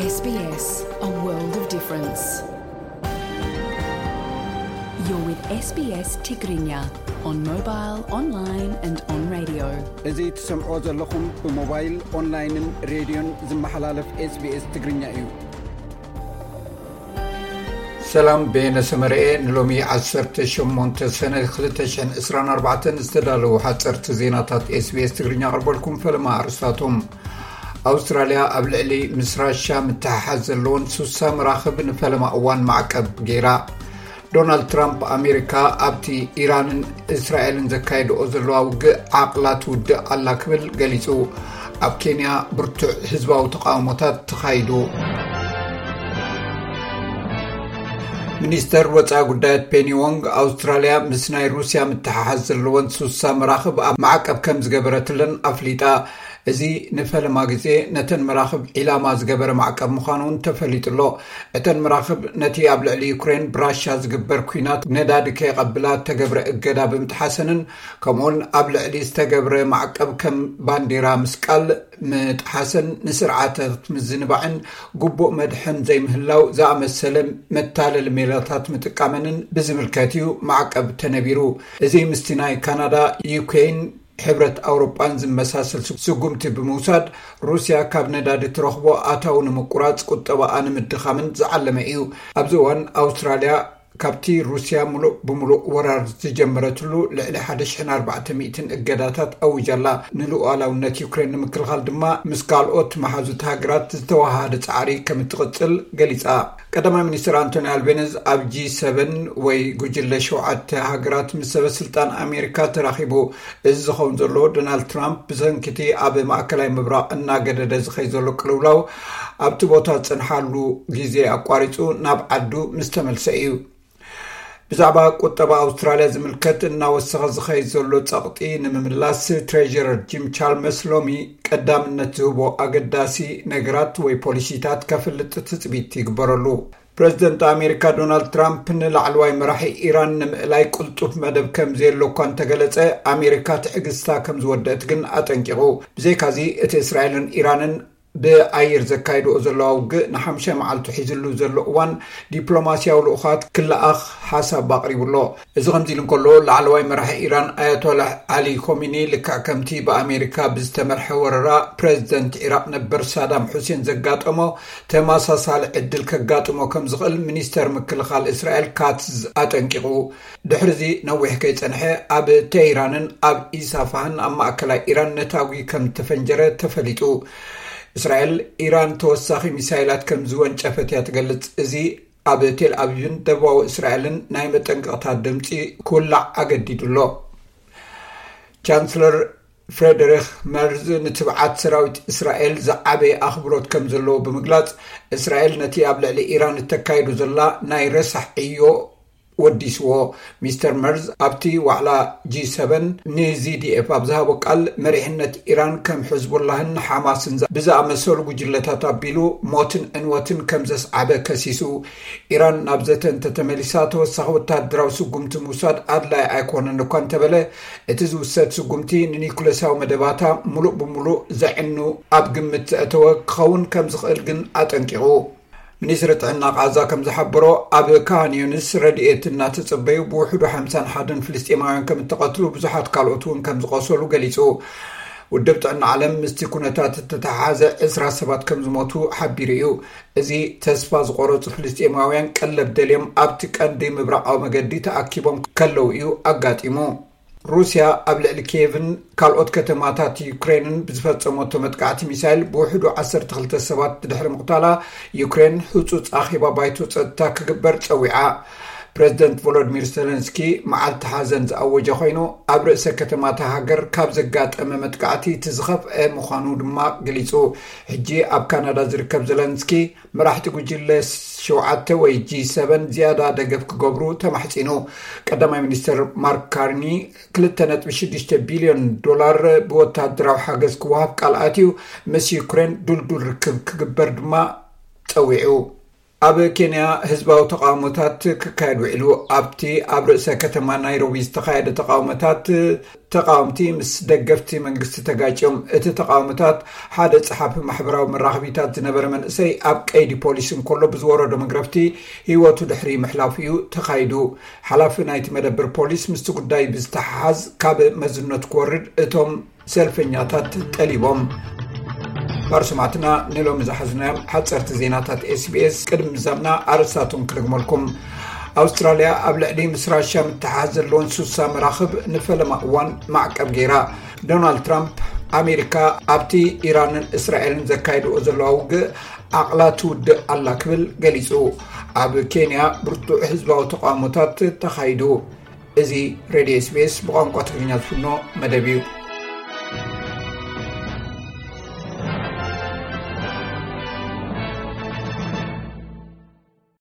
S B S, a world of difference. You're with S B S Tigrinya on mobile, online and on radio. እዚ ትሰምዖ ዘለኹም ብሞባይል፣ ኦንላይንን ሬድዮን ዝመሓላለፍ SBS ትግርኛ እዩ። ሰላም፣ በየነ ሰመረኤ ንሎሚ ዓሰርተ ሸሞንተ ሰነ ክልተ ሽሕን ዕስራን ኣርባዕተን ዝተዳለዉ ሓፀርቲ ዜናታት SBS ትግርኛ ኣቕርበልኩም። ፈለማ ኣርስታቶም። ኣውስትራልያ ኣብ ልዕሊ ምስ ራሻ ምትሕሓዝ ዘለዎን ሱሳ መራኽብ ንፈለማ እዋን ማዕቀብ ገይራ። ዶናልድ ትራምፕ ኣሜሪካ ኣብቲ ኢራንን እስራኤልን ዘካየድኦ ዘለዋ ውግእ ዓቕላ ትውድእ ኣላ ክብል ገሊጹ። ኣብ ኬንያ ብርቱዕ ህዝባዊ ተቃውሞታት ተኻይዱ። ሚኒስተር ወጻኢ ጉዳያት ፔኒ ዎንግ ኣውስትራልያ ምስ ናይ ሩስያ ምትሓሓዝ ዘለወን ሱሳ መራኽብ ኣብ ማዕቀብ ከም ዝገበረትለን ኣፍሊጣ። እዚ ንፈለማ ግዜ ነተን መራኽብ ዒላማ ዝገበረ ማዕቀብ ምዃኑ እውን ተፈሊጡ ኣሎ። እተን መራኽብ ነቲ ኣብ ልዕሊ ዩክሬን ብራሻ ዝግበር ኲናት ነዳዲ ከየቐብላ እተገብረ እገዳ ብምጥሓሰንን ከምኡውን ኣብ ልዕሊ ዝተገብረ ማዕቀብ ከም ባንዲራ ምስቃል ምጥሓሰን ንስርዓታት ምዝንባዕን ግቡእ መድሕን ዘይምህላው ዝኣመሰለ መታለሊ ሜላታት ምጥቃመንን ብዝምልከት እዩ ማዕቀብ ተነቢሩ። እዚ ምስቲ ናይ ካናዳ፣ ዩኬን፣ ሕብረት ኣውሮጳን ዝመሳሰል ስጉምቲ ብምውሳድ ሩስያ ካብ ነዳዲ ትረኽቦ ኣታዊ ንምቁራጽ፣ ቁጠባኣ ንምድኻምን ዝዓለመ እዩ። ኣብዚ እዋን ኣውስትራልያ ካብቲ ሩስያ ምሉእ ብምሉእ ወራር ዝጀመረትሉ ልዕሊ ሓደ ሽሕን ኣርባዕተ ሚእትን እገዳታት ኣዊጃ ኣላ። ንሉኣላውነት ዩክሬን ንምክልኻል ድማ ምስ ካልኦት መሓዙት ሃገራት ዝተወሃሃደ ጻዕሪ ከም እትቕጽል ገሊጻ። ቀዳማይ ሚኒስትር ኣንቶኒ ኣልቤኒዝ ኣብ ጂ ሰቨን ወይ ጉጅለ ሸውዓተ ሃገራት ምስ ሰበ ስልጣን ኣሜሪካ ተራኺቡ። እዚ ዝኸውን ዘሎ ዶናልድ ትራምፕ ብሰንኪቲ ኣብ ማእከላይ ምብራቕ እናገደደ ዝኸይ ዘሎ ቅልውላው ኣብቲ ቦታ ዝጸንሓሉ ግዜ ኣቋሪጹ ናብ ዓዱ ምስ ተመልሰ እዩ። ብዛዕባ ቁጠባ ኣውስትራልያ ዝምልከት እናወሰኸ ዝኸይ ዘሎ ጸቕጢ ንምምላስ ትሬዥረር ጂም ቻልመርስ ሎሚ ቀዳምነት ዝህቦ ኣገዳሲ ነገራት ወይ ፖሊሲታት ከፍልጥ ትጽቢት ይግበረሉ። ፕረዚደንት ኣሜሪካ ዶናልድ ትራምፕ ንላዕለዋይ መራሒ ኢራን ንምእላይ ቅልጡፍ መደብ ከም ዘየሎ እኳ እንተገለጸ፣ ኣሜሪካ ትዕግስታ ከም ዝወደእት ግን ኣጠንቂቑ። ብዘይካዚ እቲ እስራኤልን ኢራንን ብኣየር ዘካይድኦ ዘለዋ ውግእ ንሓምሻይ መዓልቱ ሒዝሉ ዘሎ እዋን ዲፕሎማስያዊ ልኡኻት ክለኣኽ ሓሳብ ኣቕሪቡ ኣሎ። እዚ ከምዚ ኢሉ እንከሎ፣ ላዕለዋይ መራሒ ኢራን ኣያቶላህ ዓሊ ኮሚኒ ልክዕ ከምቲ ብኣሜሪካ ብዝተመርሐ ወረራ ፕረዚደንት ዒራቕ ነበር ሳዳም ሑሴን ዘጋጠሞ ተመሳሳሊ ዕድል ከጋጥሞ ከም ዝኽእል ሚኒስተር ምክልኻል እስራኤል ካትዝ ኣጠንቂቑ። ድሕሪዚ ነዊሕ ከይጸንሐ ኣብ ተህራንን ኣብ ኢሳፋህን ኣብ ማእከላይ ኢራን ነታጒ ከም ተፈንጀረ ተፈሊጡ። እስራኤል፣ ኢራን ተወሳኺ ሚሳይላት ከም ዝወንጨፈት እያ ትገልጽ። እዚ ኣብ ቴል ኣቪቭን ደቡባዊ እስራኤልን ናይ መጠንቀቕታ ድምጺ ክውላዕ ኣገዲዱ ኣሎ። ቻንስለር ፍሬደሪክ መርዝ ንትብዓት ሰራዊት እስራኤል ዝዓበየ ኣኽብሮት ከም ዘለዎ ብምግላጽ፣ እስራኤል ነቲ ኣብ ልዕሊ ኢራን እተካይዶ ዘላ ናይ ረሳሕ ዕዮ ወዲስዎ። ሚስተር መርዝ ኣብቲ ዋዕላ ጂ ሰቨን ንዚ ዲ ኤፍ ኣብ ዝሃቦ ቃል፣ መሪሕነት ኢራን ከም ሕዝቡላህን ሓማስን ብዝኣመሰሉ ጉጅለታት ኣቢሉ ሞትን ዕንወትን ከም ዘስዓበ ከሲሱ። ኢራን ናብ ዘተ እንተተመሊሳ፣ ተወሳኺ ወታደራዊ ስጉምቲ ምውሳድ ኣድላይ ኣይኮነን እኳ እንተበለ፣ እቲ ዝውሰድ ስጉምቲ ንኒኩለሳዊ መደባታ ሙሉእ ብሙሉእ ዘዕኑ ኣብ ግምት ዘእተወ ክኸውን ከም ዝኽእል ግን ኣጠንቂቑ። ሚኒስትሪ ጥዕና ቃዛ ከም ዝሓበሮ፣ ኣብ ካን ዩኒስ ረድኤት እናተጸበዩ ብውሕዱ ሓምሳን ሓደን ፍልስጤማውያን ከም እተቐትሉ፣ ብዙሓት ካልኦት እውን ከም ዝቖሰሉ ገሊጹ። ውድብ ጥዕና ዓለም ምስቲ ኩነታት እተተሓሓዘ ዕስራ ሰባት ከም ዝሞቱ ሓቢሩ እዩ። እዚ ተስፋ ዝቖረጹ ፍልስጤማውያን ቀለብ ደልዮም ኣብቲ ቀንዲ ምብራቓዊ መገዲ ተኣኪቦም ከለዉ እዩ ኣጋጢሙ። ሩስያ ኣብ ልዕሊ ኪየቭን ካልኦት ከተማታት ዩክሬንን ብዝፈጸመቶ መጥቃዕቲ ሚሳይል ብውሕዱ ዓሰርተ ክልተ ሰባት ድሕሪ ምቕታላ፣ ዩክሬን ህጹጽ ኣኼባ ባይቶ ጸጥታ ክግበር ጸዊዓ። ፕረዚደንት ቮሎዲሚር ዜለንስኪ መዓልቲ ሓዘን ዝኣወጀ ኮይኑ፣ ኣብ ርእሰ ከተማ እታ ሃገር ካብ ዘጋጠመ መጥቃዕቲ እቲ ዝኸፍአ ምዃኑ ድማ ገሊጹ። ሕጂ ኣብ ካናዳ ዝርከብ ዜለንስኪ፣ መራሕቲ ጉጅለ ሸውዓተ ወይ ጂ ሰቨን ዝያዳ ደገፍ ክገብሩ ተማሕጺኑ። ቀዳማይ ሚኒስትር ማርክ ካርኒ ክልተ ነጥቢ ሽዱሽተ ቢልዮን ዶላር ብወታደራዊ ሓገዝ ክወሃብ ቃል ኣትዩ፣ ምስ ዩክሬን ድልዱል ርክብ ክግበር ድማ ጸዊዑ። ኣብ ኬንያ ህዝባዊ ተቃውሞታት ክካየድ ውዒሉ። ኣብቲ ኣብ ርእሰ ከተማ ናይሮቢ ዝተኻየደ ተቃውሞታት፣ ተቃወምቲ ምስ ደገፍቲ መንግስቲ ተጋጭዮም። እቲ ተቃውሞታት፣ ሓደ ጸሓፊ ማሕበራዊ መራኸቢታት ዝነበረ መንእሰይ ኣብ ቀይዲ ፖሊስ እንከሎ ብዝወረዶ መግረፍቲ ህይወቱ ድሕሪ ምሕላፉ እዩ ተኻይዱ። ሓላፊ ናይቲ መደብር ፖሊስ ምስቲ ጉዳይ ብዝተሓሓዝ ካብ መዝነት ክወርድ እቶም ሰልፈኛታት ጠሊቦም። ባርሱማትና ንሎሚ ዝሓዝናዮም ሓፀርቲ ዜናታት ኤስቢኤስ ቅድሚ ምዛምና ኣርእስታቶም ክደግመልኩም። ኣውስትራልያ ኣብ ልዕሊ ምስ ራሽያ ምትሓዝ ዘለዎን ሱሳ መራኽብ ንፈለማ እዋን ማዕቀብ ገይራ። ዶናልድ ትራምፕ፣ ኣሜሪካ ኣብቲ ኢራንን እስራኤልን ዘካይድኦ ዘለዋ ውግእ ዓቕላ ትውድእ ኣላ ክብል ገሊጹ። ኣብ ኬንያ ብርቱዕ ህዝባዊ ተቃውሞታት ተኻይዱ። እዚ ሬድዮ ኤስቢኤስ ብቋንቋ ትግርኛ ዝፍኖ መደብ እዩ።